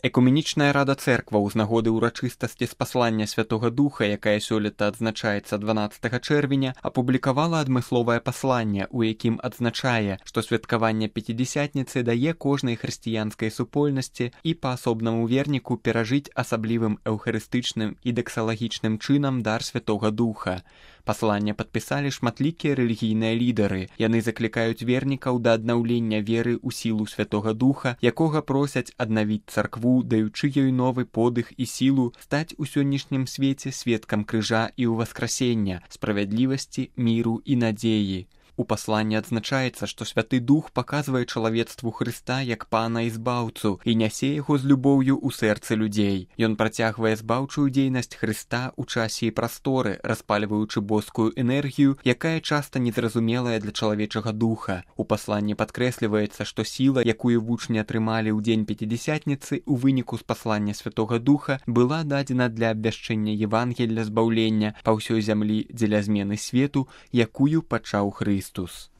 Экуменічная рада цэркваў з нагоды ўрачыстасці спаслання Святога Духа, якая сёлета адзначаецца 12 чэрвеня, апублікавала адмысловае пасланне, у якім адзначае, што святкаванне Пяцідзясятніцы дае кожнай хрысціянскай супольнасці і паасобнаму верніку перажыць асаблівым эўхарыстычным і даксалагічным чынам дар Святога Духа. Пасланне падпісалі шматлікія рэлігійныя лідары. Яны заклікаюць вернікаў да аднаўлення веры ў сілу Святога Духа, якога просяць аднавіць царкву, даючы ёй новы подых і сілу стаць у сённяшнім свеце сведкам крыжа і ўваскрасення, справядлівасці, міру і надзеі. У пасланні адзначаецца, што Святы Дух паказвае чалавецтву Хрыста як Пана і Збаўцу і нясе яго з любоўю ў сэрцы людзей. Ён працягвае збаўчую дзейнасць Хрыста ў часе і прасторы, распальваючы боскую энергію, якая часта незразумелая для чалавечага духа. У пасланні падкрэсліваецца, што сіла, якую вучні атрымалі ў дзень Пяцідзясятніцы ў выніку спаслання Святога Духа, была дадзена для абвяшчэння Евангелля збаўлення па ўсёй зямлі дзеля змены свету, якую пачаў Хрыстус.